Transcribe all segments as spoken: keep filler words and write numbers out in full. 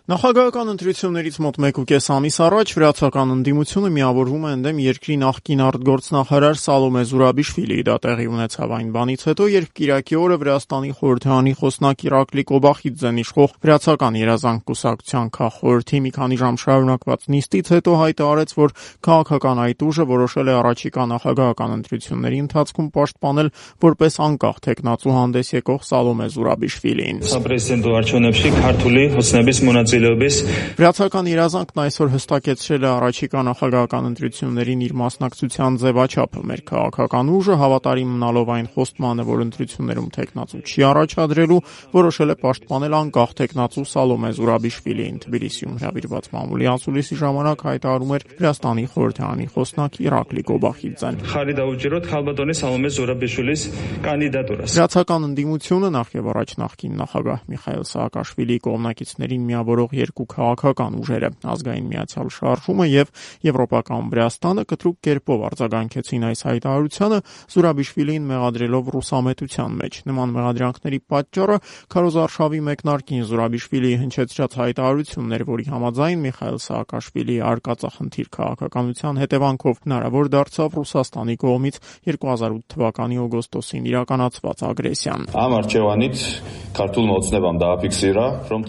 Նախագահական ընտրություններից մոտ մեկ ու կես ամիս առաջ վրացական ընդդիմությունը միավորվում է ընդդեմ երկրի նախկին արտգործնախարար Սալոմե Զուրաբիշվիլիի։ Դա տեղի ունեցավ այն բանից հետո, երբ կիրակի օրը Վրաստանի խորհրդարանի խոսնակ Իրակլի Կոբախիձեն իշխող Վրացական երազանք կուսակցության քաղխորհրդի մի քանի ժամ շարունակված նիստից հետո հայտարարեց, որ քաղաքական այդ ուժը որոշել է առաջիկա նախագահական ընտրությունների ընթացքում պաշտպանել որպես անկախ թեկնածու հանդես եկող Սալոմե Զուրաբիշվիլիին։ Վրացական երազանքն այսօր հստակեցրել է առաջիկա նախագահական ընտրություններին իր մասնակցության ձևաչափը։ Մեր քաղաքական ուժը, հավատարիմ մնալով այն խոստմանը, որ ընտրություններում թեկնածու չի առաջադրելու, որոշել է պաշտպանել անկախ թեկնածու Սալոմե Զուրաբիշվիլիին։ Թբիլիսիում հրավիրված մամուլի ասուլիսի ժամանակ հայտարարում էր Վրաստանի խորհրդարանի խոսնակ Իրակլի Կոբախիձեն։ Վրացական ընդդիմությունը նախ եւ առաջ նախկին նախագահ Միխայիլ Սաակաշվիլիի կողմնակիցներին միավորող երկու քաղաքական ուժերը, Ազգային միացյալ շարժումը եւ Եվրոպական Վրաստանը, կտրուկ կերպով արձագանքեցին այս հայտարարությանը, Զուրաբիշվիլիին մեղադրելով ռուսամետության մեջ։ Նման մեղադրանքների պատճառը քարոզարշավի մեկնարկին Զուրաբիշվիլիի հնչեցրած հայտարարությունն էր, որի համաձայն Միխայիլ Սաակաշվիլիի արկածախնդիր քաղաքականության հետևանքով հնարավոր դարձավ Ռուսաստանի կողմից երկու հազար ութ թվականի օգոստոսին իրականացված ագրեսիան։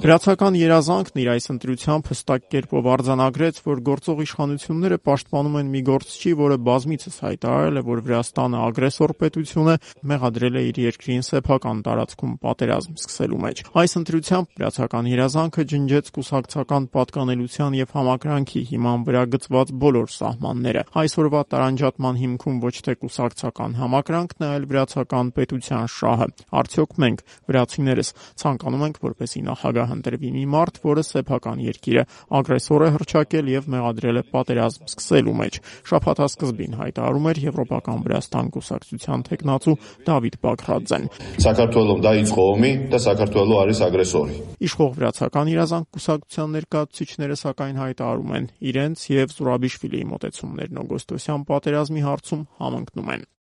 Վրացական երազանքն իր այս ընտրությամբ հստակ կերպով արձանագրեց, որ գործող իշխանությունները պաշտպանում են մի գործչի, որը բազմիցս հայտարարել է, որ Վրաստանը ագրեսոր պետություն է, մեղադրել է իր երկրին սեփական տարածքում պատերազմ սկսելու մեջ։ Այս ընտրությամբ վրացական երազանքը ջնջեց կուսակցական պատկանելության եւ համակրանքի հիման վրա գծված բոլոր սահմանները։ Այսօրվա տարանջատման հիմքում ոչ թե կուսակցական համակրանքն է, այլ վրացական պետության շահը։ Արդյոք մենք, վրացիներս, ցանկանում ենք, որպեսզի նախագահ ընտրվի մի մարդ, որը սեփական երկիրը ագրեսոր է հռչակել եւ մեղադրել է պատերազմ սկսելու մեջ, շաբաթասկզբին հայտարարում էր Եվրոպական Վրաստան կուսակցության թեկնածու Դավիթ Բագրատձեն։ Իշխող Վրացական երազանք կուսակցության ներկայացուցիչները սակայն հայտարարում են, իրենց եւ Զուրաբիշվիլիի մոտեցումներն օգոստոսյան պատերազմի հարցում համընկնում են։